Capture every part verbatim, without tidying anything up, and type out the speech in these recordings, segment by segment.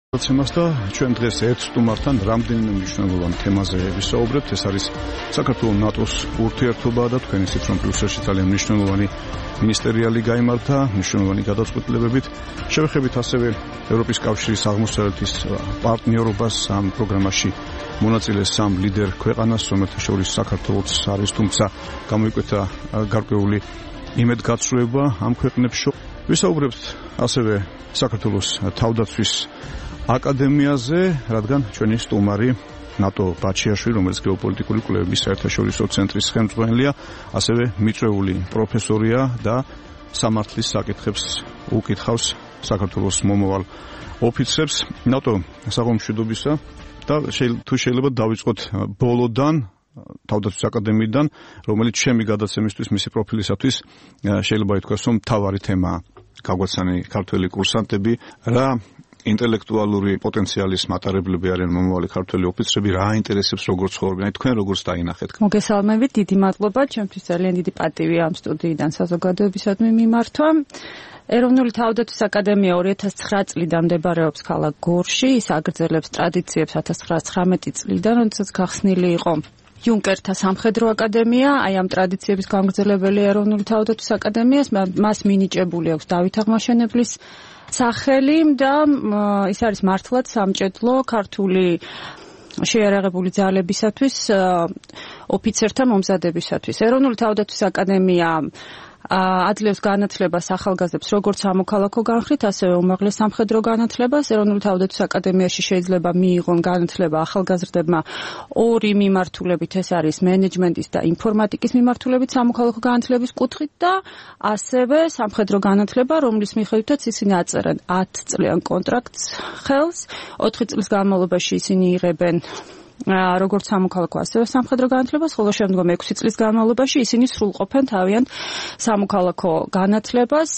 Ცემას და ჩვენ დღეს ერთ სტუმართან რამდენიმე მნიშვნელოვან თემაზე ვისაუბრებთ. ეს არის საქართველოს ნატოს ურთიერთობა და თქვენ ისიც რომ ბრიუსელში ძალიან მნიშვნელოვანი მინისტერიალი გაიმართა, მნიშვნელოვანი გადაწყვეტილებებით. შევეხებით ასევე ევროპის კავშირის აღმოსავლეთის პარტნიორობას ამ პროგრამაში მონაწილე სამ ლიდერ ქვეყანას, რომელთა შორის საქართველოც არის, თუმცა გამოიკვეთა გარკვეული იმედგაცრუება ამ ქვეყნებს. ვისაუბრებთ ასევე საქართველოს თავდაცვის აკადემიაზე, რადგან ჩვენი სტუმარი ნატო ბაჩიაშვილი, რომელიც გეოპოლიტიკური კვლევების საერთაშორისო ცენტრის ხელმძღვანელია, ასევე მიწვეული პროფესორია და სამართლის საკითხებს უკითხავს საქართველოს მომავალ ოფიცრებს. ნატო საღამომშვიდობისა და თუ შეიძლება დავიწყოთ ბოლოდან, თავდაცვის აკადემიიდან, რომელიც ჩემი გადაცემისთვის მისი პროფილისათვის შეიძლება ითქვას, რომ მთავარი თემაა. გაგვაცანი ქართველი კურსანტები, რა ინტელექტუალური პოტენციალის მატარებლები არიან მომავალი ქართველი ოფიცრები, რა ინტერესებს როგორ ცხოვრობენ, თქვენ როგორც დაინახეთ. მოგესალმებით, დიდი მადლობა, ჩემთვის ძალიან დიდი პატივია ამ სტუდიიდან საზოგადოებისადმი მიმართვა. ეროვნული თავდაცვის აკადემია ორი ათას ცხრა წლიდან მდებარეობს ქალაქ გორში, ის აგრძელებს ტრადიციებს ათას ცხრაას ცხრამეტი წლიდან, როდესაც გახსნილი იყო იუნკერთა სამხედრო აკადემია, აი ამ ტრადიციების გამგრძელებელი ეროვნული თავდაცვის აკადემიას, მას მინიჭებული აქვს დავით აღმაშენებლის სახელი და ის არის მართლაც სამჭედლო ქართული შეიარაღებული ძალებისათვის, ოფიცერთა მომზადებისათვის. ეროვნული თავდაცვის აკადემია აძლევს განათლებას ახალგაზრდებს როგორც სამოქალაქო განხრით, ასევე უმაღლეს სამხედრო განათლებას. ეროვნული თავდაცვის აკადემიაში შეიძლება მიიღონ განათლება ახალგაზრდებმა ორი მიმართულებით, ეს არის მენეჯმენტის და ინფორმატიკის მიმართულებით სამოქალაქო განათლების კუთხით და ასევე სამხედრო განათლება, რომლის მიხედვითაც ისინი აწერენ ათწლიან კონტრაქტს ხელს, ოთხი წლის განმავლობაში ისინი იღებენ როგორც სამოქალაქო ასევე სამხედრო განათლებას, ხოლო შემდგომ ექვსი წლის განმავლობაში ისინი სრულყოფენ თავიანთ სამოქალაქო განათლებას.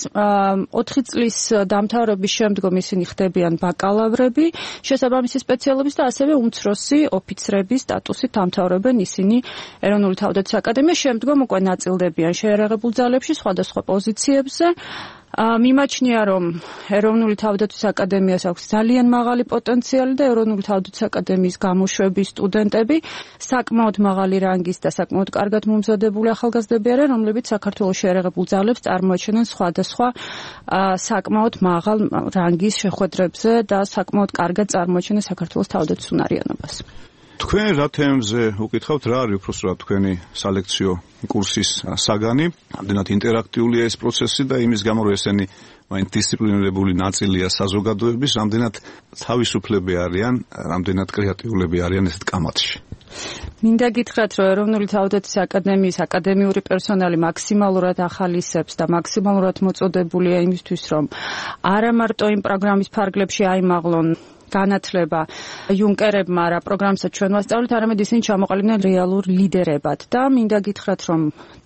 ოთხი წლის დამთავრების შემდგომ ისინი ხდებიან ბაკალავრები შესაბამისი სპეციალობის და ასევე უმცროსი ოფიცრების სტატუსით დამთავრებენ ისინი ეროვნული თავდაცვის აკადემიაში, შემდგომ უკვე ნაწილდებიან შეიარაღებულ ძალებში სხვადასხვა პოზიციებზე. მიმაჩნია, რომ ეროვნული თავდაცვის აკადემიას აქვს ძალიან მაღალი პოტენციალი და ეროვნული თავდაცვის აკადემიის გამოშვების სტუდენტები საკმაოდ მაღალი რანგის და საკმაოდ კარგად მომზადებული ახალგაზრდები არიან, რომლებიც საქართველოს შეიარაღებულ ძალებს წარმოაჩენენ სხვადასხვა საკმაოდ მაღალ რანგის შეხვედრებზე და საკმაოდ კარგად წარმოაჩენენ საქართველოს თავდაცვის უნარიანობას. თქვენ რა თემებზე უკითხავთ, რა არის უბრალოდ თქვენი სალექციო კურსის საგანი? ამდენად ინტერაქტიულია ეს პროცესი და იმის გამო რომ ესენი მაინც დისციპლინირებული ნაწილია საზოგადოების, ამდენად თავისუფლები არიან, ამდენად კრეატიულები არიან ესეთ კამათში. მინდა გითხრათ, რომ ეროვნული თავდაცვის აკადემიის აკადემიური პერსონალი მაქსიმალურად ახალისებს და მაქსიმალურად მოწოდებულია იმისთვის, რომ არა მარტო იმ პროგრამის ფარგლებში აიმაღლონ განათლება იუნკერებმა რა პროგრამსაც ჩვენ ვასწავლეთ, არამედ ისინი ჩამოყალიბდნენ რეალურ ლიდერებად და მინდა გითხრათ, რომ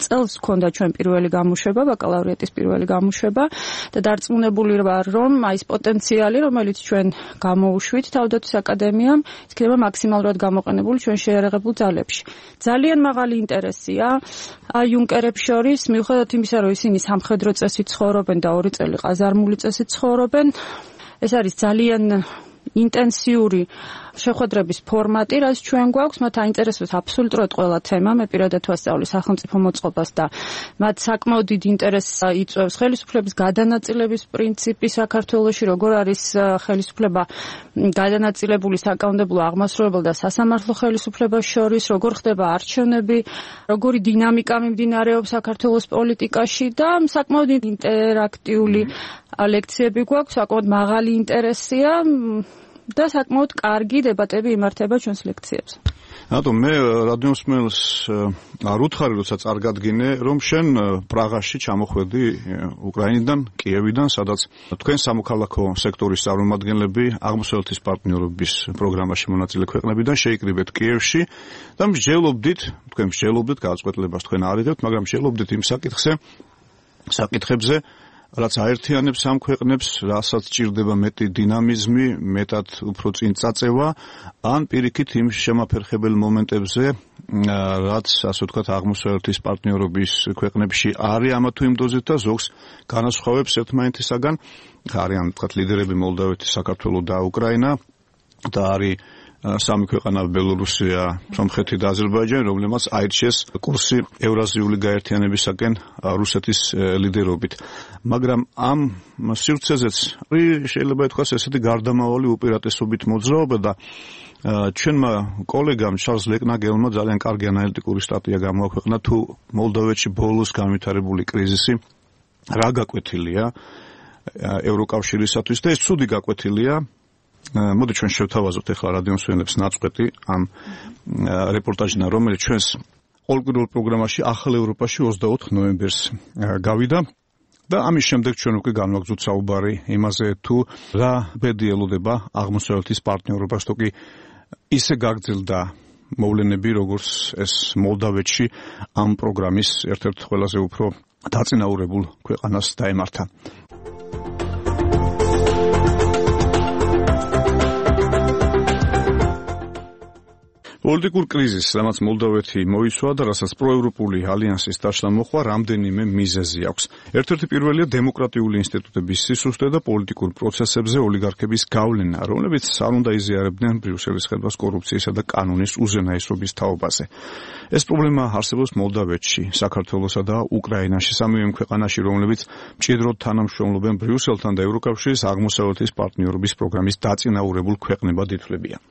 წელს ჰქონდა ჩვენ პირველი გამოშვება, ბაკალავრიატის პირველი გამოშვება და დარწმუნებული ვარ, რომ აი ეს პოტენციალი, რომელიც ჩვენ გამოუშვით თავდაცვის აკადემიამ, იქნება მაქსიმალურად გამოყენებული ჩვენ შეიარაღებულ ძალებში. ძალიან მაღალი ინტერესია იუნკერებს შორის, მიუხედავად იმისა, რომ ისინი სამხედრო წესით ცხოვრობენ და ორი წელი ყაზარმული წესით ცხოვრობენ, ეს არის ძალიან ინტენსიური შეხვედრების ფორმატი, რაც ჩვენ გვაქვს, მათ აინტერესებს აბსოლუტურად ყველა თემა. მე პირადად ვასწავლი სახელმწიფო მოწყობას და მათ საკმაოდ დიდ ინტერესს იწვევს ხელისუფლების გადანაწილების პრინციპი საქართველოში, როგორ არის ხელისუფლება გადანაწილებული საკანონმდებლო, აღმასრულებელ და სასამართლო ხელისუფლებას შორის, როგორ ხდება არჩევნები, როგორი დინამიკა მიმდინარეობს საქართველოს პოლიტიკაში და საკმაოდ ინტერაქტიული ლექციები გვაქვს, საკმაოდ მაღალი ინტერესია და საკმაოდ კარგი დებატები იმართება ჩვენს ლექციებზე. რატომ მე რადიოსმენელს არ უთხარი, როცა წარგადგინე, რომ შენ პრაღაში ჩამოხვედი უკრაინიდან, კიევიდან, სადაც თქვენ სამოქალაქო სექტორის წარმომადგენლები აღმოსავლეთის პარტნიორობის პროგრამაში მონაწილე ქვეყნებიდან შეიკრიბეთ კიევში და მსჯელობდით, თქვენ მსჯელობდით, გადაწყვეტილებას თქვენ არ იღებთ, მაგრამ მსჯელობდით იმ საკითხზე, საკითხებზე, რაც აერთიანებს ამ ქვეყნებს, რასაც ჭირდება მეტი დინამიზმი, მეტად უფრო წინ წაწევა, ან პირიქით იმ შემაფერხებელ მომენტებზე, რაც ასე ვთქვათ აღმოსავლეთის პარტნიორობის ქვეყნებში არის ამა თუ იმ დოზით და ზოგს განასხვავებს ერთმანეთისაგან. არიან ვთქვათ ლიდერები მოლდავეთი, საქართველო და უკრაინა და არის სამი ქვეყანა ბელორუსია, სომხეთი და აზერბაიჯანი, რომლებმაც აირჩიეს კურსი ევრაზიული გაერთიანებისაკენ რუსეთის ლიდერობით. მაგრამ ამ სივრცეზეც შეიძლება ითქვას ესეთი გარდამავალი უპირატესობით მოძრაობა და ჩვენმა კოლეგამ ჩარლზ ლეკნაგელმა ძალიან კარგი ანალიტიკური სტატია გამოაქვეყნა თუ მოლდოვეთში ბოლოს განვითარებული კრიზისი რა გაკვეთილია ევროკავშირისათვის და ეს ცუდი გაკვეთილია. მოდი ჩვენ შევთავაზოთ ახლა რადიომსმენელებს ნაწყვეტი ამ რეპორტაჟიდან, რომელიც ჩვენს ყოველკვირეულ პროგრამაში ახალ ევროპაში ოცდაოთხ ნოემბერს გავიდა და ამის შემდეგ ჩვენ უკვე განვაგრძოთ საუბარი იმაზე თუ რა ბედი ელოდება აღმოსავლეთის პარტნიორობას, თუ კი ისე გაგრძელდა მოვლენები, როგორც ეს მოლდავეთში ამ პროგრამის ერთ-ერთ ყველაზე უფრო დაწინაურებულ ქვეყანას დაემართა. პოლიტიკურ კრიზისს, რამაც მოლდოვეთი მოიცვა და რასაც პროევროპული ალიანსის დაშლა მოხვა, რამდენიმე მიზეზი აქვს. ერთ-ერთი პირველია დემოკრატიული ინსტიტუტების სისუსტე და პოლიტიკურ პროცესებზე ოლიგარქების გავლენა, რომლებიც არ უნდა იზიარებდნენ ბრიუსელის ხელობას კორუფციისა და კანონის უზენაესობის თაობაზე. ეს პრობლემა არსებობს მოლდოვეთში, საქართველოსა და უკრაინაში, სამივე ქვეყანაში, რომლებიც მჭიდროდ თანამშრომლობენ ბრიუსელთან და ევროკავშირის აღმოსავლეთის პარტნიორობის პროგრამის დაწინაურებულ ქვეყნებად ითვლებიან.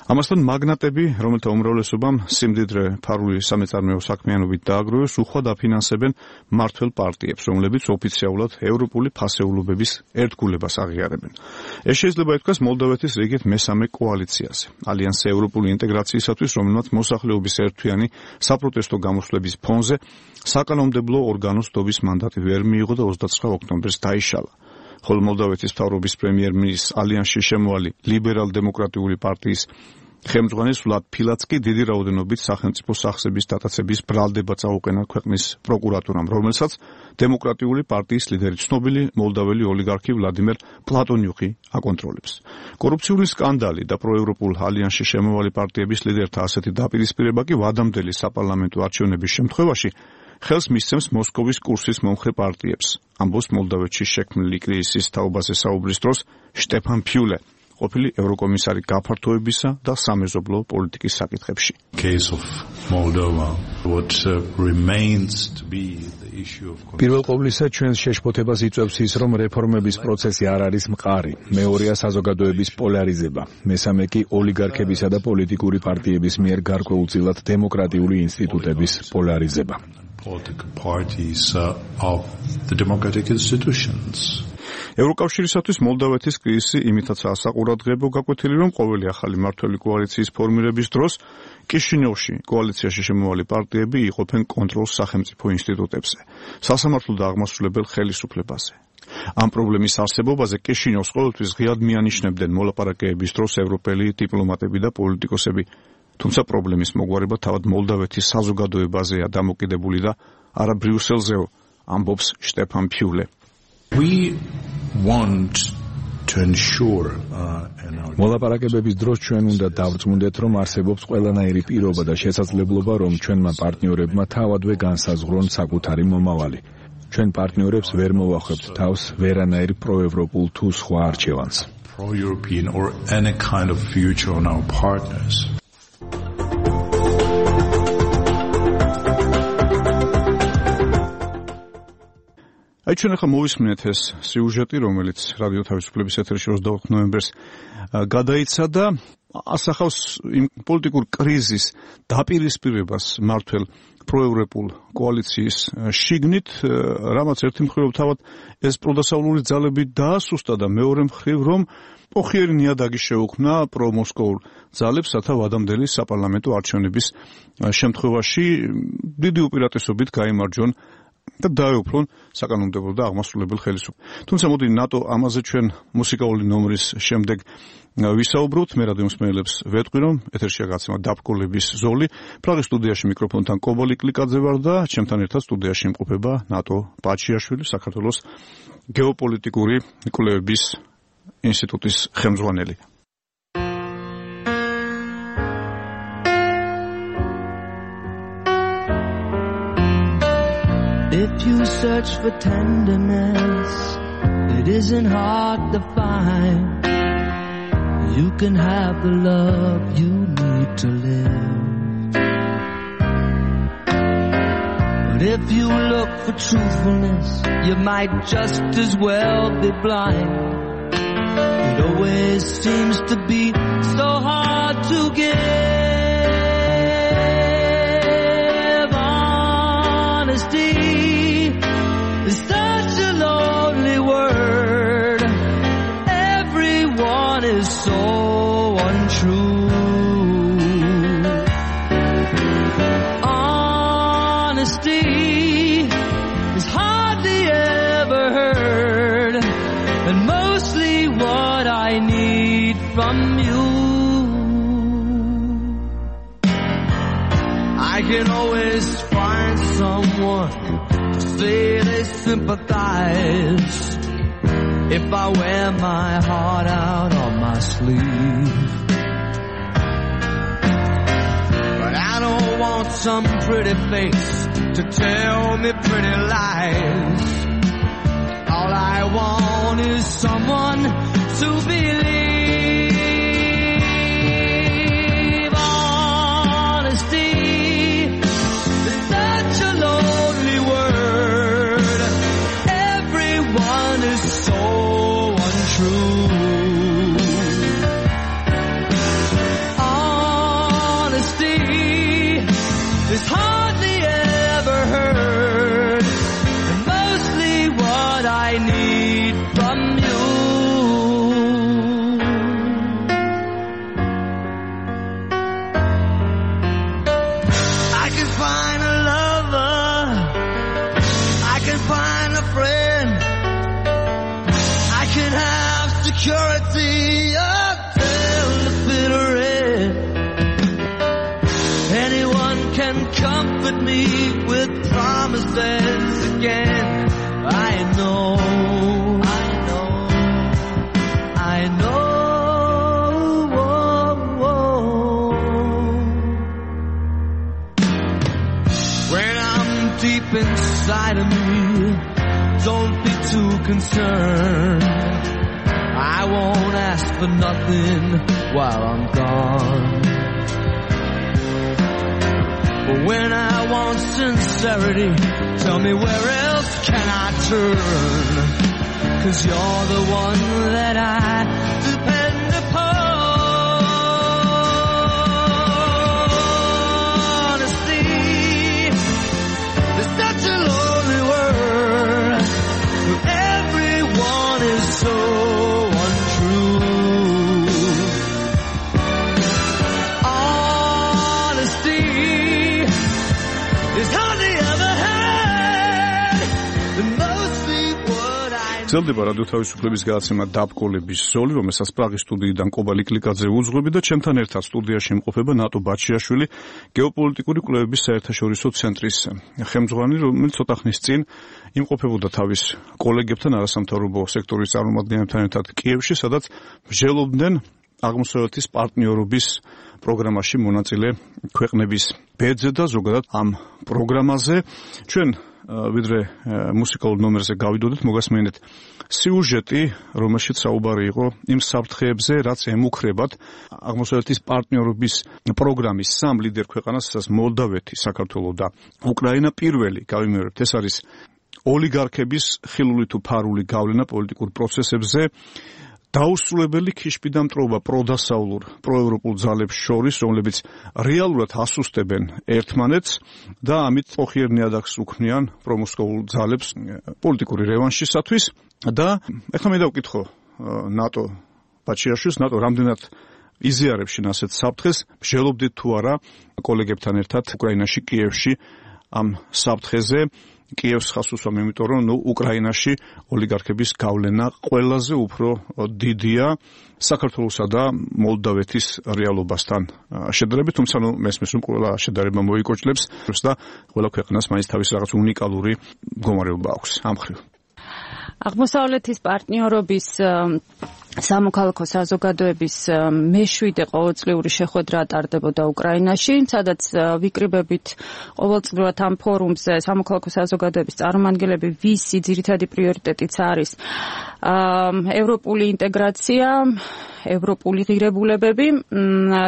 ამასთან მაგნატები, რომელთა უმრავლესობამ სიმდიდრე ფარული სამეწარმეო საქმიანობით დააგროვეს, უხვად აფინანსებენ მმართველ პარტიებს, რომლებიც ოფიციალურად ევროპული ფასეულობების ერთგულებას აღიარებენ. ეს შეიძლება ითქვას მოლდოვეთის რიგით მესამე კოალიციაზე, ალიანსი ევროპული ინტეგრაციისათვის, რომელმაც მოსახლეობის ერთთვიანი საპროტესტო გამოსვლების ფონზე საკანონმდებლო ორგანოს დობის მანდატი ვერ მიიღო და ოცდაცხრა ოქტომბერს დაიშალა. ხოლო მოლდოვეთის მთავრობის პრემიერ-მინისტრის ალიანსში შემოვალი ლიბერალ-დემოკრატიული პარტიის ხელმძღვანელი ვლად ფილაცკი დიდი რაოდენობით სახელმწიფო სახსების დატაცების ბრალდება წაუყენა ქვეყნის პროკურატურამ, რომელსაც დემოკრატიული პარტიის ლიდერი ცნობილი მოლდაველი ოლიგარქი ვლადიმერ პლატონიუკი აკონტროლებს. კორუფციული სკანდალი და პროევროპულ ალიანსში შემოვალი პარტიების ლიდერთა ასეთი დაპირისპირება კი ვადამდელი საპარლამენტო არჩევნების შემთხვევაში ხელს მისცემს მოსკოვის კურსის მომხრე პარტიებს. ამბობს მოლდოვეთში შექმნილი კრიზისის თაობაზე საუბრის დროს შტეფან ფიულე, ყოფილი ევროკომისარი გაფართოებისა და სამეზობლო პოლიტიკის საკითხებში. პირველ ყოვლისა ჩვენს შეშფოთებას იწვევს ის, რომ რეფორმების პროცესი არ არის მყარი. მეორეა საზოგადოების პოლარიზება. მესამე კი ოლიგარქებისა და პოლიტიკური პარტიების მიერ გარკვეულწილად დემოკრატიული ინსტიტუტების პოლარიზება. Political parties uh, of the democratic institutions. ევროკავშირისათვის მოლდოვეთის კრიზისი იმითაცაა საყურადღებო გაკვეთილი, რომ ყოველი ახალი მმართველი კოალიციის ფორმირების დროს კიშინიოვში კოალიციაში შემოვალი პარტიები იყოფენ კონტროლს სახელმწიფო ინსტიტუტებზე, სასამართლო და აღმასრულებელ ხელისუფლებაზე. ამ პრობლემის არსებობაზე კიშინიოვს ყოველთვის ღიად მიანიშნებდნენ მოლაპარაკებების დროს ევროპელი დიპლომატები და პოლიტიკოსები. თუმცა პრობლემის მოგვარება თავად მოლდოვეთის საზოგადოებაზეა დამოკიდებული და არა ბრიუსელზეო, ამბობს შტეფან ფიულე. We want to ensure uh, მოლაპარაკებების დროს ჩვენ უნდა დავწმუნდეთ, რომ არსებობს ყველანაირი პირობა და შესაძლებლობა, რომ ჩვენმა პარტნიორებმა თავადვე განსაზღვრონ საკუთარი მომავალი. ჩვენ პარტნიორებს ვერ მოვახვევთ თავს ვერანაირ პროევროპულ თუ სხვა არჩევანს. Pro-European or any kind of future on our partners. აი ჩვენ ახლა მოვისმინეთ ეს სიუჟეტი, რომელიც რადიო თავისუფლების ეთერში ოცდაოთხ ნოემბერს გადაიცა და ასახავს იმ პოლიტიკურ კრიზისის დაპირისპირებას მმართველ პროევროპულ კოალიციის შიგნით, რამაც ერთი მხრივ თავად ეს პროდასავლური ძალები დაასუსტა და მეორე მხრივ რომ ოხიერი ნიადაგი შეუქმნა პრომოსკოურ ძალებს, რათა ვადამდელი საპარლამენტო არჩევნების შემთხვევაში დიდი უპირატესობით გაიმარჯვონ და დაეუფლონ საკანონმდებლო და აღმასრულებელ ხელისუფლებას. თუმცა მოდი ნატო ამაზე ჩვენ მუსიკალური ნომრის შემდეგ ვისაუბროთ. მე რადიომსმენელებს ვეტყვი, რომ ეთერშია გაცემა დაბკოლების ზოლი. პრაღის სტუდიაში მიკროფონთან კობოლი კლიკაძე ვარ და ჩემთან ერთად სტუდიაში იმყოფება ნატო ბაჩიაშვილი, საქართველოს გეოპოლიტიკური კვლევების ინსტიტუტის ხელმძღვანელი. If you search for tenderness, it isn't hard to find. You can have the love you need to live. But if you look for truthfulness, you might just as well be blind. It always seems to be so hard to give. Honesty is such a lonely word. Everyone is so untrue. Honesty is hardly ever heard, and mostly what I need from you. I can always find someone to say they sympathize if I wear my heart out on my sleeve. But I don't want some pretty face to tell me pretty lies. All I want is someone to believe. Honesty is such a lonely word. Everyone is so untrue. Honesty is hardly ever heard, and mostly what I need from you. I can find a lover, I can find a friend, I can have security until the bitter end. Anyone can comfort me with promises again. I know, I know, I know. When I'm deep inside of me, don't be too concerned. I won't ask for nothing while I'm gone. But when I want sincerity, tell me where else can I turn? 'Cause you're the one that I depend upon. Honesty is such a lonely word. Everyone is so untrue. Honesty is hardly ever heard, and mostly what I გრძელდება რადიო თავისუფლების გადაცემა დაბკოლების ზოლი, რომელსაც პრაღის სტუდიიდან კობალი კლიკაძე უძღვები და ჩემთან ერთად სტუდიაში იმყოფება ნატო ბაჩიაშვილი, გეოპოლიტიკური კვლევების საერთაშორისო ცენტრის ხელმძღვანელი, რომელიც ცოტა ხნის წინ იმყოფებოდა თავის კოლეგებთან, არასამთავრობო სექტორის წარმომადგენლებთან ერთად კიევში, სადაც მსჯელობდნენ აღმოსავლეთის პარტნიორობის პროგრამაში მონაწილე ქვეყნების ბედზე და ზოგადად ამ პროგრამაზე. ჩვენ ვიდრე მუსიკალურ ნომერზე გავიდოდეთ, მოგასმენთ სიუჟეტი, რომელშიც საუბარი იყო იმ საფრთხეებზე, რაც ემუქრებათ აღმოსავლეთის პარტნიორობის პროგრამის სამ ლიდერ ქვეყანას, სადაც მოლდავეთი, საქართველო და უკრაინა. პირველი გავიმეორებთ, ეს არის ოლიგარქების ხილული თუ ფარული გავლენა პოლიტიკურ პროცესებზე, დაუსრულებელი ქიშბიდამტრობა პროდასავლურ პროევროპულ ძალებს შორის, რომლებიც რეალურად ასუსტებენ ერთმანეთს და ამით ოხიერ ნიადაგს უქმნიან პრომოსკოვულ ძალებს პოლიტიკური რევანშისათვის. და ეხლა მე დავკითხო ნატო ბაჩიაშვილს, ნატო რამდენად იზიარებს შენ ასეთ საფრთხეს, მსჯელობდით თუ არა კოლეგებთან ერთად უკრაინაში, კიევში ამ საფრთხეზე. კიევს ხას უსვამ, იმიტომ რომ ნუ უკრაინაში ოლიგარქების გავლენა ყველაზე უფრო დიდია საქართველოსა და მოლდავეთის რეალობასთან შედარებით, თუმცა ნუ მესმის რომ ყველა შედარება მოიკოჭლებს და ყველა ქვეყანას მაინც თავის რაღაც უნიკალური მდგომარეობა აქვს ამ ხრივ. აღმოსავლეთის პარტნიორობის სამოქალაქო საზოგადოების მეშვიდე ყოველწლიური შეხვედრა ტარდებოდა უკრაინაში, სადაც ვიკრიბებით ყოველწლიურად ამ ფორუმზე სამოქალაქო საზოგადოების წარმომადგენლები, ვისი ძირითადი პრიორიტეტიც არის ევროპული ინტეგრაცია, ევროპული ღირებულებები,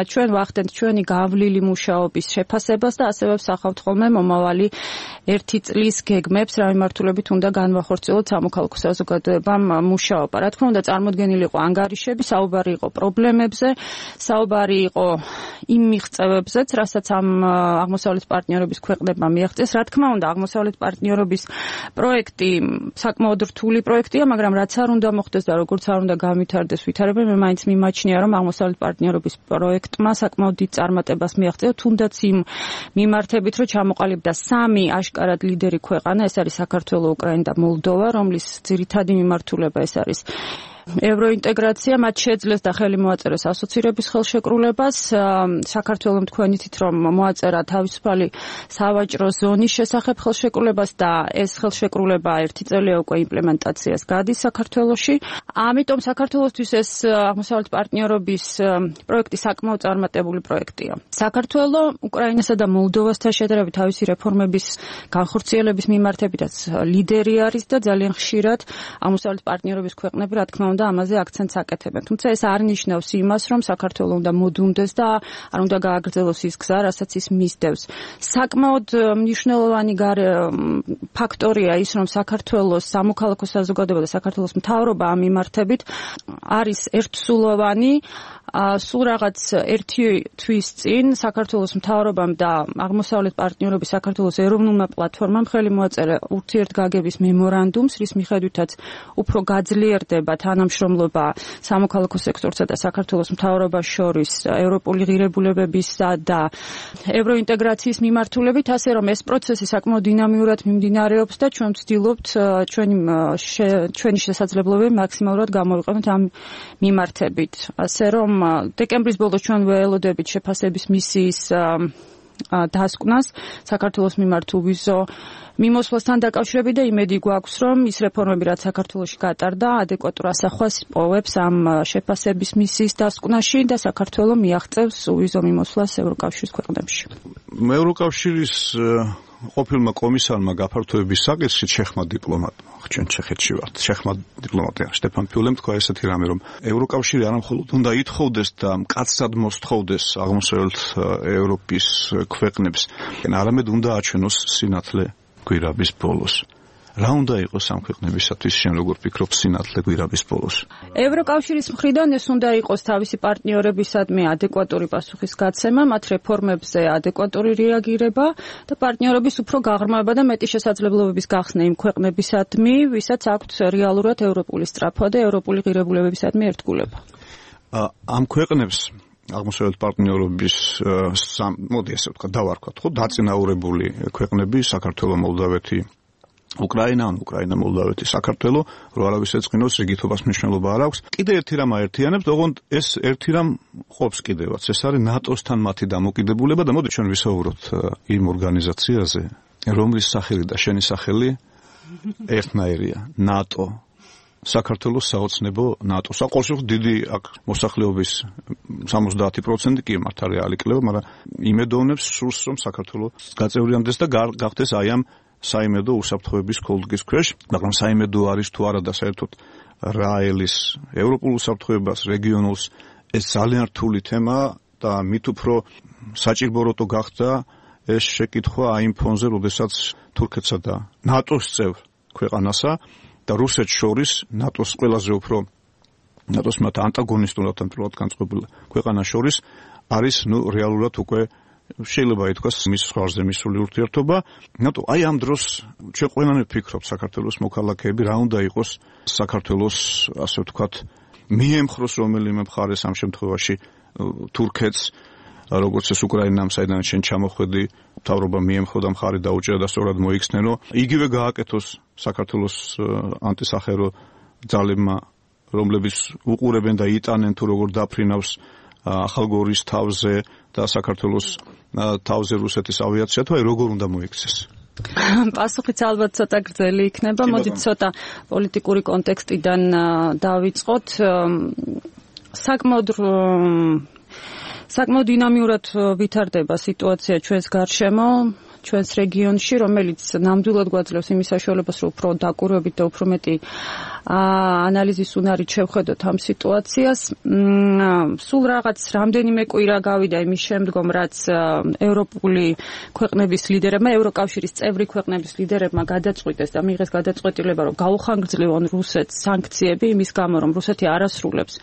ჩვენ ვახდენთ ჩვენი გავლილი მუშაობის შეფასებას და ასევე ვსახავთ ხოლმე მომავალი ერთი წლის გეგმებს, რა მიმართულებით უნდა განვახორციელოთ სამოქალაქო საზოგადოებამ მუშაობა. რა თქმა უნდა, წარმოდგენილი იყო ანგარიშები, საუბარი იყო პრობლემებზე, საუბარი იყო იმ მიღწევებზეც, რასაც ამ აღმოსავლეთ პარტნიორობის ქვეყნებმა მიაღწიეს. რა თქმა უნდა, აღმოსავლეთ პარტნიორობის პროექტი საკმაოდ რთული პროექტია, მაგრამ რაც არ უნდა მოხდეს და როგორც არ უნდა განვითარდეს ვითარება, მე მაინც მიმაჩნია, რომ აღმოსავლეთ პარტნიორობის პროექტმა საკმაოდ დიდ წარმატებას მიაღწია, თუნდაც იმ მიმართებით, რომ ჩამოყალიბდა სამი აშკარად ლიდერი ქვეყანა, ეს არის საქართველო, უკრაინა და მოლდოვა, რომლის ძირითადი მიმართულება ეს არის ევროინტეგრაცია, მათ შეძლეს და ხელი მოაწერეს ასოცირების ხელშეკრულებას. საქართველომ თქვენითით, რომ მოაწერა თავისუფალი სავაჭრო ზონის შესახებ ხელშეკრულებას და ეს ხელშეკრულება ერთი წელია უკვე იმპლემენტაციას გადის საქართველოში. ამიტომ საქართველოსთვის ეს აღმოსავლეთ პარტნიორობის პროექტი საკმაოდ წარმატებული პროექტია. საქართველო უკრაინასა და მოლდოვასთან შედარებით თავისი რეფორმების განხორციელების მიმართებითაც ლიდერი არის და ძალიან ხშირად აღმოსავლეთ პარტნიორობის ქვეყნები, რა თქმა უნდა, ამაზე აქცენტს აკეთებენ. თუმცა ეს არ ნიშნავს იმას, რომ საქართველო უნდა მოდუნდეს და არ უნდა გააგრძელოს ის გზა, რასაც ის მისდევს. საკმაოდ მნიშვნელოვანი ფაქტორია ის, რომ საქართველოს სამოქალაქო საზოგადოება და საქართველოს მთავრობა ამ მიმართებით არის ერთსულოვანი. სულ რაღაც ერთი თვის წინ საქართველოს მთავრობამ და აღმოსავლეთ პარტნიორობის საქართველოს ეროვნულმა პლატფორმამ ხელი მოაწერა ურთიერთგაგების მემორანდუმს, რის მიხედვითაც უფრო გაძლიერდება თანამშრომლობა სამოქალაქო სექტორსა და საქართველოს მთავრობას შორის ევროპული ღირებულებებისა და ევროინტეგრაციის მიმართულებით, ასე რომ ეს პროცესი საკმაოდ დინამიურად მიმდინარეობს და ჩვენ ვცდილობთ ჩვენი ჩვენი შესაძლებლობები მაქსიმალურად გამოვიყენოთ ამ მიმართებით. ასე რომ დეკემბრის ბოლოს ჩვენ ველოდებით შეფასების მისიის დასკვნას საქართველოს მიმართ უვიზო მიმოსვლასთან დაკავშირებით და იმედი გვაქვს, რომ ის რეფორმები, რაც საქართველოში გატარდა, ადეკვატურ ასახვას პოვებს ამ შეფასების მისიის დასკვნაში და საქართველო მიაღწევს უვიზო მიმოსვლას ევროკავშირის ქვეყნებში. ევროკავშირის ყოფილმა კომისარმა გაფართოების საკითხში ჩეხმა დიპლომატმა, ჩვენ ჩეხეთში ვართ, ჩეხმა დიპლომატია შტეფან ფიულემ თქვა ესეთი რამე, რომ ევროკავშირი არამხოლოდ უნდა ითხოვდეს და მკაცრად მოსთხოვდეს აღმოსავლეთ ევროპის ქვეყნებს, არამედ უნდა აჩვენოს სინათლე გვირაბის ბოლოს. რა უნდა იყოს ამ ქვეყნებისათვის, შენ როგორ ფიქრობ, სინათლე გვირაბის ბოლოს? ევროკავშირის მხრიდან ეს უნდა იყოს თავისი პარტნიორებისადმი ადეკვატური პასუხისგაცემა, მათ რეფორმებზე ადეკვატური რეაგირება და პარტნიორობის უფრო გაღრმავება და მეტი შესაძლებლობების გახსნა იმ ქვეყნებისადმი, ვისაც აქვთ რეალურად ევროპული სწრაფვა და ევროპული ღირებულებებისადმი ერთგულება. ამ ქვეყნებს აღმოსავლეთ პარტნიორობის მოდი ესე ვთქვა, დავარქვათ, ხო, დაწინაურებული ქვეყნები, საქართველო, მოლდავეთი, უკრაინა, ან უკრაინა, მოლდავეთი, საქართველო, რო არავის ეწყინოს, რიგითობას მნიშვნელობა არ აქვს. კიდე ერთი რამ აერთიანებს, ოღონდ ეს ერთი რამ ყოფს კიდევაც. ეს არის ნატოსთან მათი დამოკიდებულება და მოდი ჩვენ ვისაუბროთ იმ ორგანიზაციაზე, რომლის სახელი და შენი სახელი ერთნაირია, ნატო. საქართველოს საოცნებო ნატოს. აყოლში დიდი აქ მოსახლეობის სამოცდაათი პროცენტი კი მართ არის ალიკლება, მაგრამ იმედოვნებს სურს, რომ საქართველო გაწევრიანდეს და გახდეს აი ამ საიმედო უსაფრთხოების კოდის ქვეშ, მაგრამ საიმედო არის თუ არა და საერთოდ რა ელის ევროპულ უსაფრთხოებას, რეგიონულს, ეს ძალიან რთული თემა და მით უფრო საჭიროებო გახდა ეს შეკითხვა აი იმ ფონზე, როდესაც თურქეთსა და ნატოს წევრ ქვეყანასა და რუსეთს შორის ნატოს ყველაზე უფრო ნატოს მათ ანტაგონისტურად ამპრილად განწყობილ ქვეყანას შორის არის ნუ რეალურად უკვე შეიძლება ითქვას მის ხარზე მისული ურთიერთობა. ნატო აი ამ დროს ჩვენ ყველანი ვფიქრობთ საქართველოს მოქალაქეები რა უნდა იყოს საქართველოს ასე ვთქვათ მიემხროს რომელიმე მხარეს ამ შემთხვევაში თურქეთს როგორც ეს უკრაინამ საიდან შენ ჩამოხვედი მთავრობა მიემხრო და მხარი დაუჭერა და სწორად მოიხსნენო იგივე გააკეთოს საქართველოს ანტისახერო ძალებმა რომლებიც უყურებენ და იტანენ თუ როგორ დაფრინავს ახალგორის თავზე და საქართველოს თავზე რუსეთის ავიაცია თუ აი როგორ უნდა მოიქცეს პასუხიც ალბათ ცოტა გრძელი იქნება. მოდით ცოტა პოლიტიკური კონტექსტიდან დავიწყოთ. საკმაოდ საკმაოდ დინამიურად ვითარდება სიტუაცია ჩვენს გარშემო, ჩვენს რეგიონში, რომელიც ნამდვილად გვაძლევს იმის საშუალებას, რომ უფრო დაკვირვებით და უფრო მეტი ანალიზის უნარით შევხედოთ ამ სიტუაციას. სულ რაღაც რამდენიმე კვირა გავიდა იმის შემდგომ, რაც ევროპული ქვეყნების ლიდერებმა, ევროკავშირის წევრი ქვეყნების ლიდერებმა გადაწყვიტეს და მიიღეს გადაწყვეტილება, რომ გაუხანგრძლივონ რუსეთს სანქციები იმის გამო, რომ რუსეთი არ ასრულებს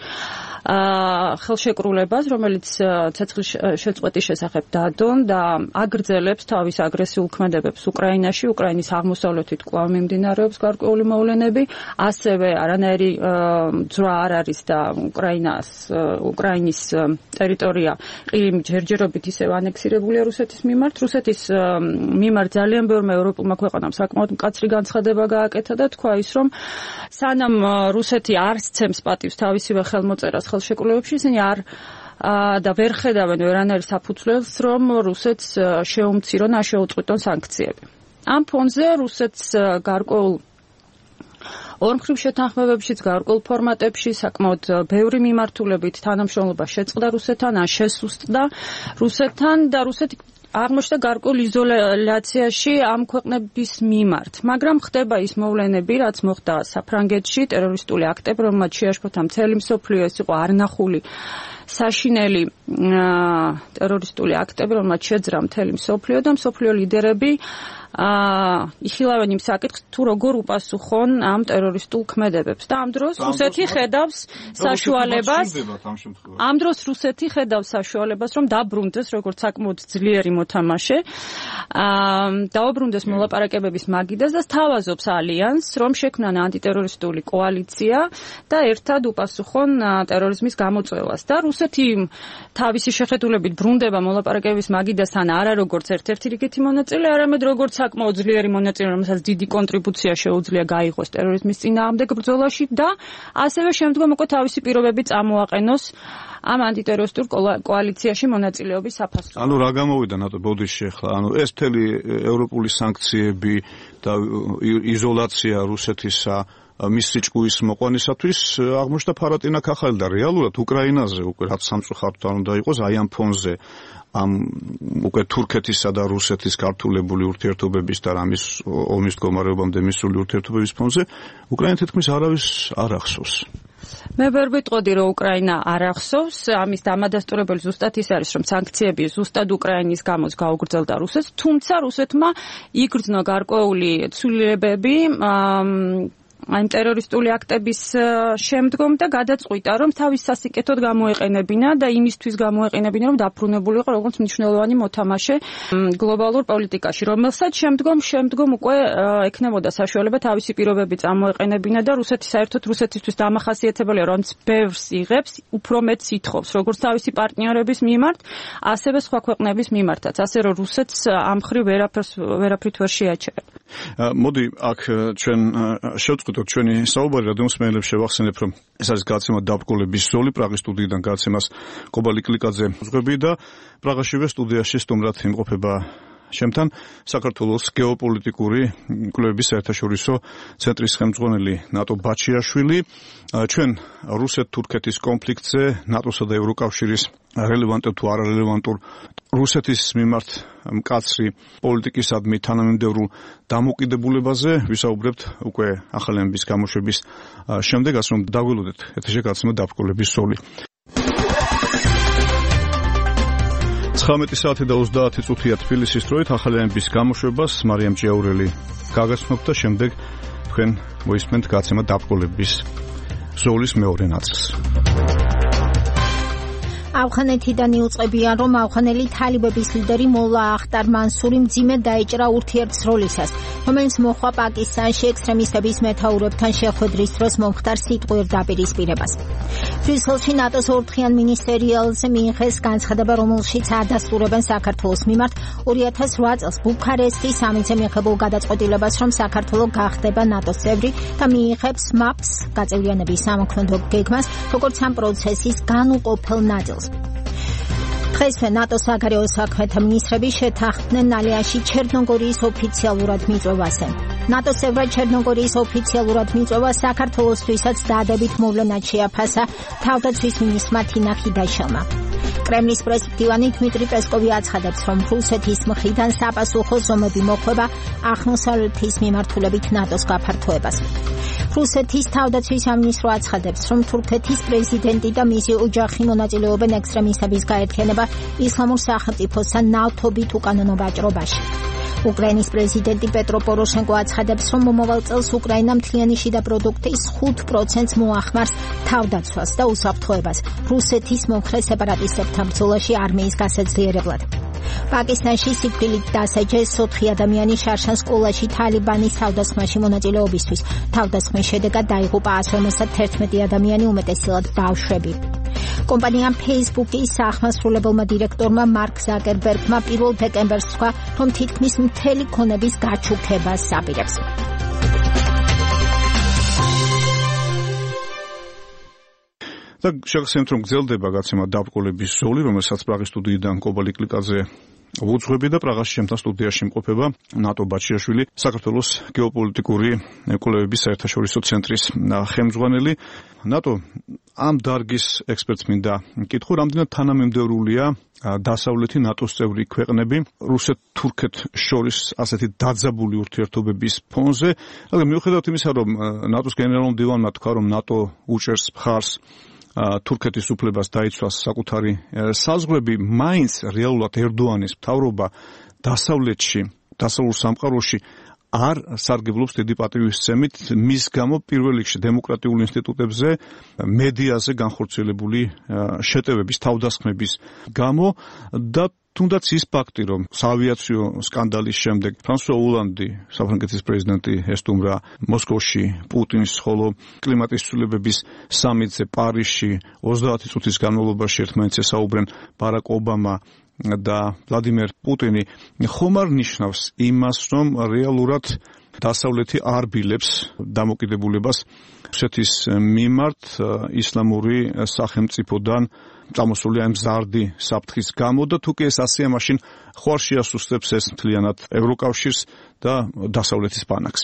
ხელშეკრულებას, რომელიც ცეცხლის შეწყვეტის შესახებ დადონ და აგრძელებს თავის აგრესიულ ქმედებებს უკრაინაში, უკრაინის აღმოსავლეთით კვლავ მიმდინარეობს გარკვეული მოვლენები, ასევე არანაირი ძრა არ არის და უკრაინას უკრაინის ტერიტორია ყირიმ ჯერჯერობით ისევ ანექსირებულია რუსეთის მიმართ. რუსეთის მიმართ ძალიან ბევრმა ევროპულმა ქვეყანამ საკმაოდ მკაცრი განცხადება გააკეთა და თქვა ის, რომ სანამ რუსეთი არ სცემს პატივს თავისივე ხელმოწერას ხელშეკრულებებში, ისინი არ და ვერ ხედავენ ვერანაირ საფუძველს, რომ რუსეთს შეუმცირონ, ან შეუწყვიტონ სანქციები. ამ ფონზე რუსეთს გარკვეულ ორმხრივ შეთანხმებებშიც, გარკვეულ ფორმატებში საკმაოდ ბევრი მიმართულებით თანამშრომლობა შეწყდა რუსეთთან, ან შესუსტდა რუსეთთან და რუსეთი აღმოჩნდა გარკვეულ იზოლაციაში ამ ქვეყნების მიმართ. მაგრამ ხდება ის მოვლენები, რაც მოხდა საფრანგეთში, ტერორისტული აქტები, რომელმაც შეაშფოთა მთელი მსოფლიო, ეს იყო არნახული საშინელი ტერორისტული აქტები, რომელმაც შეძრა მთელი მსოფლიო და მსოფლიო ლიდერები იხილავენ იმ საკითხს, თუ როგორ უპასუხონ ამ ტერორისტულ ქმედებებს. და ამ დროს რუსეთი ხედავს საშუალებას, ამ დროს რუსეთი ხედავს საშუალებას, რომ დაბრუნდეს როგორც საკმაოდ ძლიერი მოთამაშე, დაუბრუნდეს მოლაპარაკებების მაგიდას და სთავაზობს ალიანსს, რომ შექმნან ანტიტერორისტული კოალიცია და ერთად უპასუხონ ტერორიზმის გამოწვევას. და რუსეთი თავისი შეხედულებით ბრუნდება მოლაპარაკებების მაგიდასთან არა როგორც ერთ-ერთი რიგითი მონაწილე, არამედ როგორც საკმაოდ ძლიერი მონაწილე, რომელსაც დიდი კონტრიბუცია შეუძლია გაიღოს ტერორიზმის წინააღმდეგ ბრძოლაში და ასევე შემდგომ უკვე თავისი პირობები წამოაყენოს ამ ანტიტერორისტულ კოალიციაში მონაწილეობის საფასურად. ანუ რა გამოვიდა ნატო ბოდიში ახლა? ანუ ეს მთელი ევროპული სანქციები და იზოლაცია რუსეთისა მის სიჭკუის მოყვანისათვის აღმოჩნდა ფარატინა ქახალი და რეალურად უკრაინაზე უკვე რაც სამწუხაროდ არ უნდა იყოს აი ამ ფონზე ამ უკვე თურქეთისა და რუსეთის გართულებული ურთიერთობების და რამის ომის მდგომარეობამდე მისული ურთიერთობების ფონზე უკრაინა თითქმის არავის არ ახსოვს. მე ვერ ვიტყოდი, რომ უკრაინა არ ახსოვს, ამის დამადასტურებელი ზუსტად ის არის, რომ სანქციები ზუსტად უკრაინის გამოს გაუგრძელდა რუსეთს, თუმცა რუსეთმა იგრძნო გარკვეული ცვლილებები ამ ტერორისტული აქტების შემდგომ და გადაწყვიტა, რომ თავის სასიკეთოდ გამოეყენებინა და იმისთვის გამოეყენებინა, რომ დაბრუნებულიყო როგორც მნიშვნელოვანი მოთამაშე გლობალურ პოლიტიკაში, რომელსაც შემდგომ შემდგომ უკვე ექნებოდა საშუალება თავისი პირობები წამოეყენებინა და რუსეთი საერთოდ რუსეთისთვის დამახასიათებელია, რომ ბევრს იღებს, უფრო მეტს ითხოვს, როგორც თავისი პარტნიორების მიმართ, ასევე სხვა ქვეყნების მიმართაც, ასე რომ რუსეთს ამ ხრივ ვერაფერს ვერაფრით ვერ შეაჩერებ. მოდი აქ ჩვენ შევწყვიტოთ ჩვენი საუბარი, რადგან მსმენელებს შევახსენებ, რომ ეს არის გადაცემა დაბრკოლების ზოლი, პრაღის სტუდიიდან გადაცემას კობალი კლიკაძე უძღვები და პრაღაშივე სტუდიაში სტუმრად იმყოფება შემთან საქართველოს გეოპოლიტიკური კვლევების საერთაშორისო ცენტრის ხელმძღვანელი ნატო ბაჩიაშვილი. ჩვენ რუსეთ-თურქეთის კონფლიქტზე ნატოსა და ევროკავშირის რელევანტურ თუ არარელევანტურ რუსეთის მიმართ მკაცრი პოლიტიკისადმი თანამიმდევრულ დამოკიდებულებაზე ვისაუბრებთ უკვე ახალი ამბის გამოშვების შემდეგ, ასე რომ დაგველოდეთ ეთერში გადაცემა დაბრკოლების ზოლი. ცხრამეტი საათი და ოცდაათი წუთია თბილისის დროით ახალი ამბის გამოშვებას მარიამ ჭიაურელი გაგაცნობთ და შემდეგ თქვენ მოისმენთ გადაცემა დაბრკოლების ზოლის მეორე ნაწილს. ავღანეთიდან იუწყებიან, რომ ავღანელი თალიბების ლიდერი მოლა ახტარ მანსური მძიმედ დაეჭრა ურთიერთსროლისას, რომელიც მოხდა პაკისტანში ექსტრემისტების მეთაურებთან შეხვედრის დროს მომხდარ სიტყვიერ დაპირისპირებას. ბრიუსელში ნატოს ორთხიან მინისტერიალზე მიიღეს განცხადება, რომელშიც ადასტურებენ საქართველოს მიმართ ორი ათას ოთხ წელს ბუქარესტის სამიტზე მიღებულ გადაწყვეტილებას, რომ საქართველო გახდება ნატოს წევრი და მიიღებს მაპს გაწევრიანების სამოქმედო გეგმას, როგორც ამ პროცესის განუყოფელ ნაწილს. დღესვე ნატოს საგარეო საქმეთა მინისტრები შეთანხმდნენ ალიაში ჩერნოგორიის ოფიციალურად მიწვევაზე. ნატოს წევრად ჩერნოგორიის ოფიციალურად მიწვევა საქართველოსთვისაც დაადებით მოვლენად შეაფასა თავდაცვის მინისტრმა თინა ხიდაშელმა. კრემლის პრესდივანი დმიტრი პესკოვი აცხადებს, რომ რუსეთის მხრიდან საპასუხო ზომები მოხვება აღმოსავლეთის მიმართულებით ნატოს გაფართოებას. რუსეთის თავდაცვის სამინისტრო აცხადებს, რომ თურქეთის პრეზიდენტი და მისი ოჯახი მონაწილეობენ ექსტრემისტების გაერთიანება ისლამურ სახელმწიფოსთან ნავთობით უკანონო ვაჭრობაში. უკრაინის პრეზიდენტი პეტრო პოროშენკო აცხადებს, რომ მომავალ წელს უკრაინა მთლიანი შიდა პროდუქტის ხუთ პროცენტს მოახმარს თავდაცვას და უსაფრთხოებას რუსეთის მომხრე სეპარატისტებთან ბრძოლაში არმიის გასაძლიერებლად. პაკისტანში სიკვდილით დასაჯეს ოთხი ადამიანი შარშან სკოლაში თალიბანის თავდასხმაში მონაწილეობისთვის. თავდასხმის შედეგად დაიღუპა ასი ორმოცდაერთმეტი ადამიანი, უმეტესწილად ბავშვები. კომპანიამ Facebook-ის საახმასრულებელმა დირექტორმა მარკ ზაკერბერგმა პირველ დეკემბერს თქვა, რომ თითქმის მთელი ქონების გაჩუქებას აპირებს. და შეგახსენებთ, რომ გრძელდება გაცემა დაბრკოლების ზოლი, რომელსაც პრაღის სტუდიიდან კობალი კლიკაძე უძღვები და პრაღაში ჩემთან სტუდიაში იმყოფება ნატო ბაჩიაშვილი, საქართველოს გეოპოლიტიკური კვლევების საერთაშორისო ცენტრის ხელმძღვანელი. ნატო ამ დარგის ექსპერტს მინდა მკითხო, რამდენად თანამემდევრულია დასავლეთი ნატოს წევრი ქვეყნები რუსეთ-თურქეთ შორის ასეთი დაძაბული ურთიერთობების ფონზე. მაგრამ მიუხედავად იმისა, რომ ნატოს გენერალურმა მდივანმა თქვა, რომ ნატო უჭერს მხარს თურქეთის უფლებას დაიცვას საკუთარი საზღვრები, მაინც რეალურად ერდოანის მთავრობა დასავლეთში, დასავლურ სამყაროში არ სარგებლობს დიდი პატივისცემით, მის გამო პირველ რიგში დემოკრატიულ ინსტიტუტებზე, მედიაზე განხორციელებული შეტევების, თავდასხმების გამო და თუნდაც ის ფაქტი, რომ საავიაციო სკანდალის შემდეგ ფრანსუა ოლანდი, საფრანგეთის პრეზიდენტი ესტუმრა მოსკოვში პუტინს, ხოლო კლიმატის ცვლილებების სამიტზე პარიზში ოცდაათი წუთის განმავლობაში ერთმანეთს ესაუბრენ ბარაკ ობამა და ვლადიმერ პუტინი, ხომ არ ნიშნავს იმას, რომ რეალურად დასავლეთი არ ბილებს დამოკიდებულებას რუსეთის მიმართ ისლამური სახელმწიფოდან წამოსული ამ ზარდი საფრთხის გამო და თუ კი ეს ასეა, მაშინ ხო არ შეასუსტებს ეს მთლიანად ევროკავშირს და დასავლეთის ბანაკს.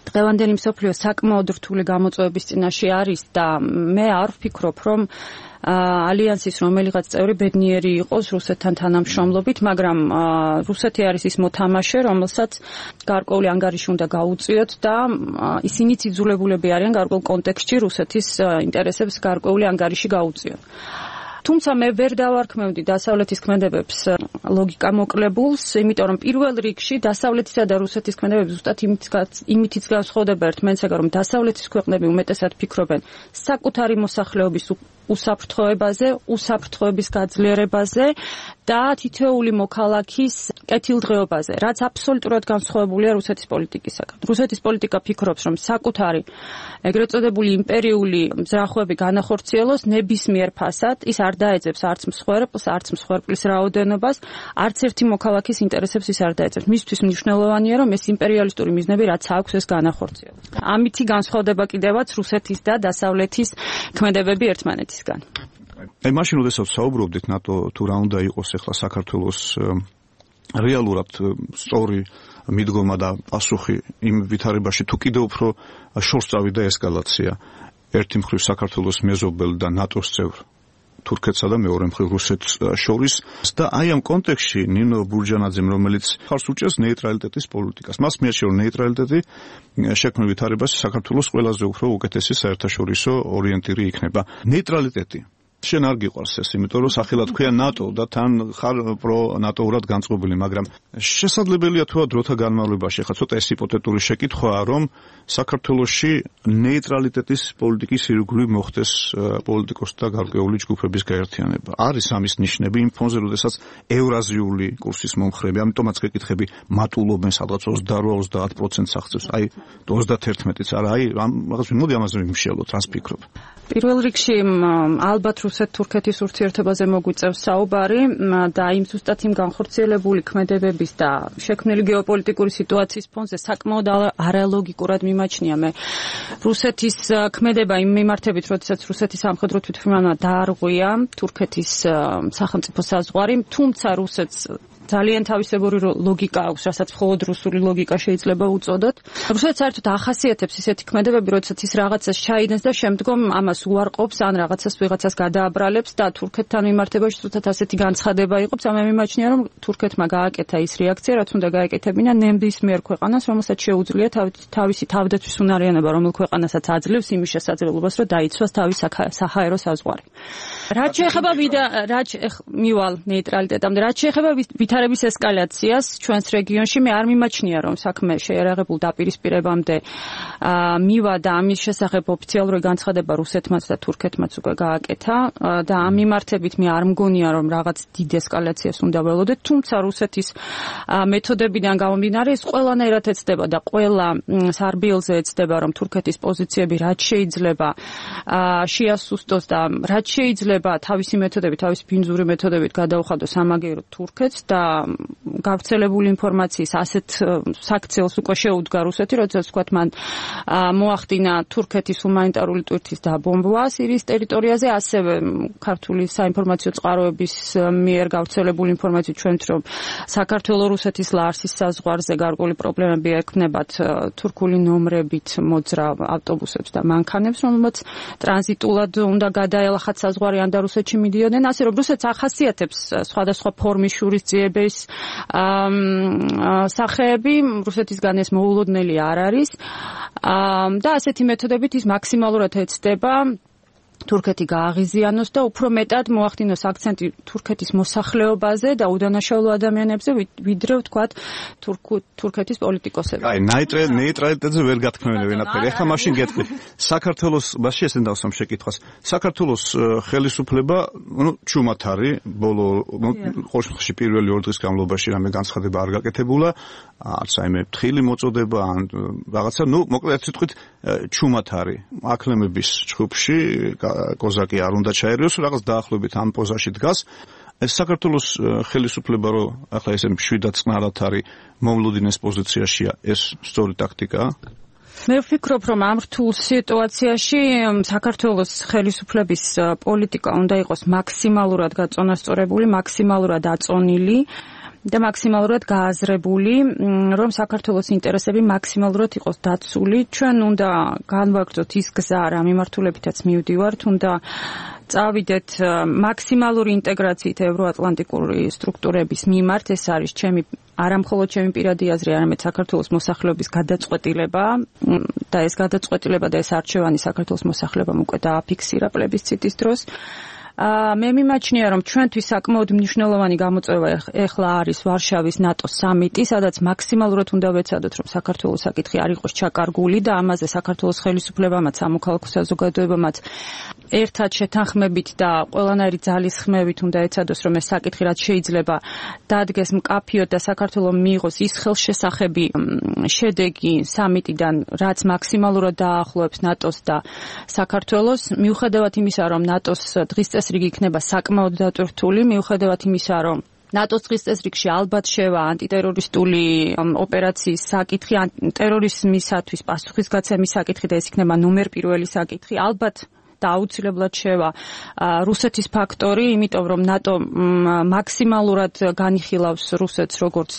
დღევანდელი მსოფლიო საკმაოდ რთული გამოწვევების წინაშე არის და მე არ ვფიქრობ, რომ ალიანსის რომელიღაც წევრი ბედნიერი იყოს რუსეთთან თანამშრომლობით, მაგრამ რუსეთი არის ის მოთამაშე, რომელსაც გარკვეული ანგარიში უნდა გაუწიოთ და ისინიც იძულებულები არიან გარკვეულ კონტექსტში რუსეთის ინტერესებს გარკვეული ანგარიში გაუწიოთ. თუმცა მე ვერ დავარქმევდი დასავლეთის ქმედებებს ლოგიკა მოკლებულს, იმიტომ რომ პირველ რიგში დასავლეთისა და რუსეთის ქმედებები ზუსტად იმითიც განსხვავდება ერთმანეთსაგან, რომ დასავლეთის ქვეყნები უმეტესად ფიქრობენ საკუთარი მოსახლეობის უსაფრთხოებაზე, უსაფრთხოების გაძლიერებაზე და თითოეული მოქალაქის კეთილდღეობაზე, რაც აბსოლუტურად განსხვავებულია რუსეთის პოლიტიკისაგან. რუსეთის პოლიტიკა ფიქრობს, რომ საკუთარი ეგრეთ წოდებული იმპერიული მზრახვები განახორციელოს ნებისმიერ ფასად, ის არ დაეძებს არც მსხვერპლს, არც მსხვერპლის რაოდენობას, არც ერთი მოქალაქის ინტერესებს ის არ დაეძებს. მისთვის მნიშვნელოვანია, რომ ეს იმპერიალისტური მიზნები რაც აქვს, ეს განახორციელოს. ამითი განსხვავდება კიდევაც რუსეთის და დასავლეთის ქმედებები ერთმანეთისგან. აი მაშინ როდესაც საუბრობდით ნატო თუ რა უნდა იყოს ახლა საქართველოს რეალურად სწორი მიდგომა და პასუხი იმ ვითარებაში, თუ კიდევ უფრო შორს წავიდა ესკალაცია ერთი მხრივ საქართველოს მეზობელ და ნატოს წევრ თურქეთსა და მეორე მხრივ რუსეთს შორის და აი ამ კონტექსტში ნინო ბურჯანაძემ, რომელიც ხარს უჭერს ნეიტრალიტეტის პოლიტიკას, მას მიაჩნია, რომ ნეიტრალიტეტი შექმნილ ვითარებაში საქართველოს ყველაზე უფრო უკეთესი საერთაშორისო ორიენტირი იქნება. ნეიტრალიტეტი შენ არ გიყვარს ეს, იმიტომ რომ სახელად ქვია ნატო და თან ხარ პრო ნატოურად განწყობილი, მაგრამ შესაძლებელია თუ დროთა განმავლობაში, ხა ცოტა ეს ჰიპოთეტური შეკითხვაა, რომ საქართველოში ნეიტრალიტეტის პოლიტიკის ირგვლივ მოხდეს პოლიტიკოსთა გარკვეული ჯგუფების გაერთიანება. არის ამის ნიშნები იმ ფონზე, როდესაც ევრაზიული კურსის მომხრეები, ამიტომაც გეკითხები მატულობენ სადღაც ოცდაორი ოცდაათ პროცენტს აღწევს, აი ოცდაათერთმეტიც არა, აი რაღაც მოდი ამაზე ვიმშელოთ, რას ფიქრობ? პირველ რიგში ალბათ რუსეთ-თურქეთის ურთიერთობაზე მოგვიწევს საუბარი და იმ ზუსტად იმ განხორციელებული ქმედებების და შექმნილი გეოპოლიტიკური სიტუაციის ფონზე საკმაოდ არალოგიკურად მიმაჩნია მე რუსეთის ქმედება იმ მიმართებით, როდესაც რუსეთის სამხედრო თვითმფრინავმა დაარღვია თურქეთის სახელმწიფო საზღვარი, თუმცა რუსეთს ძალიან თავისებური ლოგიკა აქვს, რასაც მხოლოდ რუსული ლოგიკა შეიძლება უწოდოთ. რუსეთს საერთოდ ახასიათებს ისეთი ქმედებები, როდესაც ის რაღაცას ჩაიდენს და შემდგომ ამას უარყოფს, ან რაღაცას ვიღაცას გადააბრალებს და თურქეთთან მიმართებაში თუნდაც ასეთი განცხადება იყოფს. ამე მიმაჩნია, რომ თურქეთმა გააკეთა ის რეაქცია, რაც უნდა გაეკეთებინა ნებისმიერ ქვეყანას, რომელსაც შეუძლია თავისი თავდაცვის უნარიანობა, რომელ ქვეყანასაც აძლევს იმის შესაძლებლობას, რომ დაიცვას თავის საჰაერო საზღვარი. რაც შეეხება რაც მივალ ნეიტრალიტეტამდე, რაც შეეხება ვითარების ესკალაციას ჩვენს რეგიონში, მე არ მიმაჩნია, რომ საქმე შეერაღებულ დაპირისპირებამდე მივა და ამის შესახებ ოფიციალური განცხადება რუსეთმაც და თურქეთმაც უკვე გააკეთა და ამ მიმართებით მე არ მგონია, რომ რაღაც დიდ ესკალაციას უნდა ველოდეთ, თუმცა რუსეთის მეთოდებიდან გამომდინარე ის ყველანაირად ეცდება და ყველა სარბიელზე ეცდება, რომ თურქეთის პოზიციები რაც შეიძლება შეასუსტოს და რაც შეიძლება თავისი მეთოდებით, თავისი ბინძური მეთოდებით გადაუხადოს სამაგიეროდ თურქეთს და გავრცელებული ინფორმაციის ასეთ საქციელს უკვე შეუდგა რუსეთი, როდესაც თქვათ მან მოახდინა თურქეთის ჰუმანიტარული ტვირთის დაბომბვა სირიის ტერიტორიაზე, ასევე ქართული საინფორმაციო წყაროების მიერ გავრცელებული ინფორმაციით ჩვენთ, რომ საქართველო-რუსეთის ლარსის საზღვარზე გარკვეული პრობლემები ექნებათ თურქული ნომრებით მოძრავ ავტობუსებს და მანქანებს, რომელმაც ტრანზიტულად უნდა გადაელახათ საზღვარი ან და რუსეთში მიდიოდნენ, ასე რომ რუსეთს ახასიათებს სხვადასხვა ფორმის შურისძიების სახეები, რუსეთისგან ეს მოულოდნელი არ არის და ასეთი მეთოდებით ის მაქსიმალურად ეცდება თურქეთი გააღიზიანოს და უფრო მეტად მოახდინოს აქცენტი თურქეთის მოსახლეობაზე და უდანაშაულო ადამიანებზე, ვიდრე ვთქვათ თურქეთის პოლიტიკოსებზე. აი, ნეიტრალიტეტზე ვერ გათქმევენ ვენაფერი. ეხლა მაშინ გეტყვი. საქართველოს მასში ესენ დავსვამ შეკითხვას. საქართველოს ხელისუფლება, ну, ჩუმად არის, ბოლო ყოველში პირველი ორ დღის განმავლობაში რამე განცხადება არ გაკეთებულა, არც აიმე ფთხილი მოწოდება ან რაღაცა, ну, მოკლედ სიტყვით ჩუმად არის. აკლემების ჯგუფში კოზაკი არ უნდა ჩაერიოს, რაღაც დაახლოებით ამ პოზაში დგას. ეს საქართველოს ხელისუფლება, რომ ახლა ესე მშვიდად წყნარად არის მომლუდინეს პოზიციაშია, ეს სწორი ტაქტიკაა? მე ვფიქრობ, რომ ამ რთულ სიტუაციაში საქართველოს ხელისუფლების პოლიტიკა უნდა იყოს მაქსიმალურად გაწონასწორებული, მაქსიმალურად აწონილი და მაქსიმალურად გააზრებული, რომ საქართველოს ინტერესები მაქსიმალურად იყოს დაცული. ჩვენ უნდა განვაგრძოთ ის გზა, რა მიმართულებითაც მივდივართ, უნდა წავიდეთ მაქსიმალური ინტეგრაციით ევროატლანტიკური სტრუქტურების მიმართ. ეს არის ჩემი არა მხოლოდ ჩემი პირადი აზრი, არამედ საქართველოს მოსახლეობის გადაწყვეტილება და ეს გადაწყვეტილება და ეს არჩევანი საქართველოს მოსახლეობამ უკვე დააფიქსირა პლებისციტის დროს. მე მიმაჩნია, რომ ჩვენთვის საკმაოდ მნიშვნელოვანი გამოწვევა ეხლა არის ვარშავის ნატოს სამიტი, სადაც მაქსიმალურად უნდა ვეცადოთ, რომ საქართველოს საკითხი არ იყოს ჩაკარგული და ამაზე საქართველოს ხელისუფლებამაც, სამოქალაქო საზოგადოებამაც ერთად შეთანხმებით და ყველანაირი ძალისხმევით უნდა ეცადოს, რომ ეს საკითხი რაც შეიძლება დადგეს მკაფიოდ და საქართველოს მიიღოს ის ხელშესახები შედეგი სამიტიდან, რაც მაქსიმალურად დაახლოებს ნატოს და საქართველოს, მიუხედავად იმისა, რომ ნატოს დღის წესრიგი იქნება საკმაოდ დატვირთული, მიუხედავად იმისა, რომ ნატოს დღის წესრიგში ალბათ შევა ანტიტერორისტული ოპერაციის საკითხი, ტერორიზმისათვის პასუხისგაცემის საკითხი და ეს იქნება ნომერ პირველი საკითხი, ალბათ და აუცილებლად შევა რუსეთის ფაქტორი, იმიტომ რომ ნატო მაქსიმალურად განიხილავს რუსეთს როგორც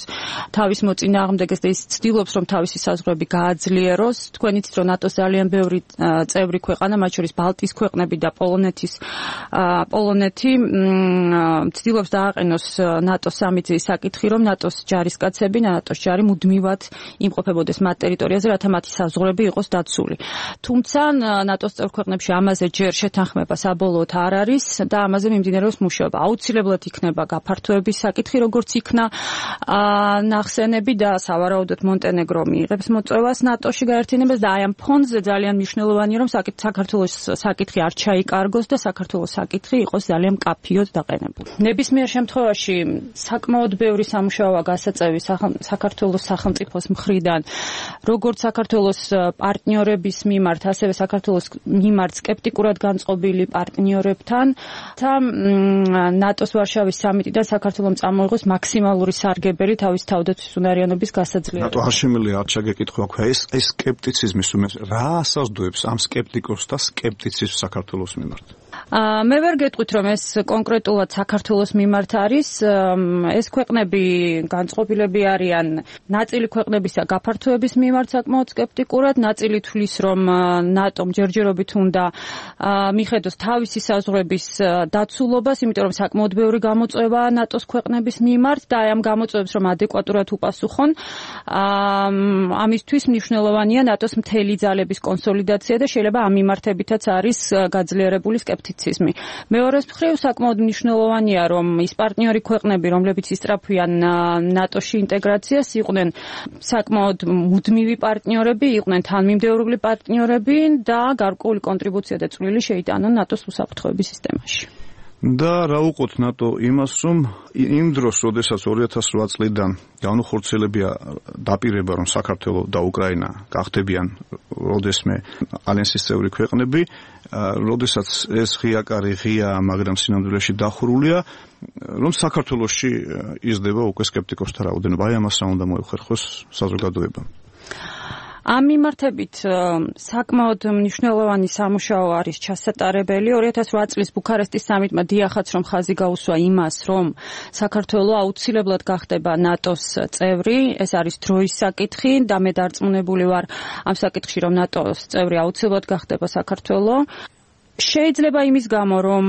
თავის მოწინააღმდეგეს და ის ცდილობს, რომ თავისი საზღვრები გააძლიეროს. თქვენ იცით, რომ ნატოს ძალიან ბევრი წევრი ქვეყანა, მათ შორის ბალტიის ქვეყნები და პოლონეთის პოლონეთი ცდილობს დააყენოს ნატოს სამიტის საკითხი, რომ ნატოს ჯარისკაცები, ნატოს ჯარი მუდმივად იმყოფებოდეს მათ ტერიტორიაზე, რათა მათი საზღვრები იყოს დაცული. თუმცა ნატოს წევრ ქვეყნებში ამაზე ჯერ შეთანხმება საბოლოოდ არ არის და ამაზე მიმდინარეობს მუშაობა. აუცილებლად იქნება გაფართოების საკითხი, როგორც იქნა ნახსენები და სავარაუდოდ მონტენეგრო მიიღებს მოწვევას ნატოში გაერთიანებას და აი ამ ფონზე ძალიან მნიშვნელოვანია, რომ საქართველოს საკითხი არ ჩაიკარგოს და საქართველოს საკითხი იყოს ძალიან მკაფიოდ დაყენებული. ნებისმიერ შემთხვევაში საკმაოდ ბევრი სამუშაოა გასაწევი საქართველოს სახელმწიფოს მხრიდან, როგორც საქართველოს პარტნიორების მიმართ, ასევე საქართველოს მიმართ სკეპტიკურ პოლიტიკურად განწყობილი პარტნიორებთან და ნატოს ვარშავის სამიტიდან საქართველოს წამოიღოს მაქსიმალური სარგებელი თავის თავდაცვის უნარიანობის გასაძლიერებლად. ნატო არ შემიძლია არ ჩაგეკითხვა ქვია ეს ეს სკეპტიციზმის უმეტ რა ასაზრდოებს ამ სკეპტიკოსს და სკეპტიციზმს საქართველოს მიმართ? მე ვერ გეტყვით რომ ეს კონკრეტულად საქართველოს მიმართ არის, ეს ქვეყნები განწყობილები არიან ნაწილი ქვეყნებისა გაფართოების მიმართ საკმაოდ სკეპტიკურად, ნაწილი თვლის რომ ნატომ ჯერჯერობით უნდა მიხედოს თავისი საზღვრების დაცულობას, იმიტომ რომ საკმაოდ ბევრი გამოწვევაა ნატოს ქვეყნების მიმართ და აი ამ გამოწვევებს რომ ადეკვატურად უპასუხონ, ამისთვის მნიშვნელოვანია ნატოს მთელი ძალების კონსოლიდაცია და შეიძლება ამ მიმართებითაც არის გაძლიერებული სკეპტიციზმი. მეორეს მხრივ საკმაოდ მნიშვნელოვანია რომ ის პარტნიორი ქვეყნები რომლებიც ისწრაფვიან ნატოში ინტეგრაციას იყვნენ საკმაოდ მუდმივი პარტნიორები, იყვნენ თანმიმდევრული პარტნიორები და გარკვეული კონტრიბუცია და წვლილი შეიტანონ ნატოს უსაფრთხოების სისტემაში. და რა უყოთ ნატო იმას რომ იმ დროს როდესაც ორი ათას რვა წლიდან განუხორციელებია დაპირება რომ საქართველო და უკრაინა გახდებიან როდესმე ალიანსის წევრი ქვეყნები, როდესაც ეს ღიაკარი ღია, მაგრამ სინამდვილეში დახურულია, რომ საქართველოში იზრდება უკვე სკეპტიკოსთა რაოდენობა. აი ამას რა უნდა მოეხერხოს საზოგადოებამ. ამ მიმართებით საკმაოდ მნიშვნელოვანი სამუშაო არის ჩასატარებელი. ორი ათას რვა წლის ბუქარესტის სამიტმა დიახაც რომ ხაზი გაუსვა იმას, რომ საქართველო აუცილებლად გახდება ნატოს წევრი, ეს არის დროის საკითხი და მე დარწმუნებული ვარ ამ საკითხში, რომ ნატოს წევრი აუცილებლად გახდება საქართველო. შეიძლება იმის გამო, რომ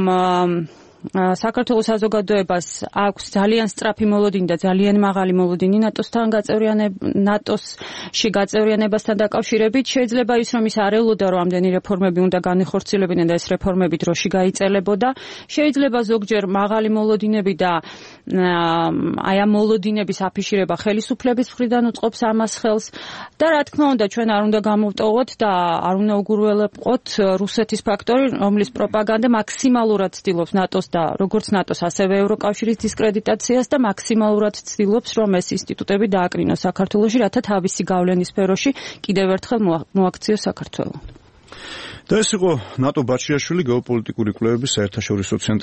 საქართველოს საზოგადოებას აქვს ძალიან სწრაფი მოლოდინი და ძალიან მაღალი მოლოდინი ნატოსთან გაწევრიანება, ნატოსში გაწევრიანებასთან დაკავშირებით. შეიძლება ის რომ ის არ ელოდა რომ ამდენი რეფორმები უნდა განეხორციელებინა და ეს რეფორმები დროში გაიწელებოდა. შეიძლება ზოგჯერ მაღალი მოლოდინები და აი ამ მოლოდინების აფიშირება ხელისუფლების მხრიდან უწყობს ამას ხელს და რა თქმა უნდა ჩვენ არ უნდა გამოვტოვოთ და არ უნდა უგურველებყოთ რუსეთის ფაქტორი, რომლის პროპაგანდა მაქსიმალურად ცდილობს ნატოს და როგორც ნატოს, ასევე ევროკავშირის დისკრედიტაციას და მაქსიმალურად ცდილობს, რომ ეს ინსტიტუტები დააკრინოს საქართველოში, რათა თავისი გავლენის სფეროში კიდევ ერთხელ მოაქციოს საქართველო. და ეს იყო ნატო ბაჩიაშვილი გეოპოლიტიკური კვლევების საერთაშორისო ცენტრის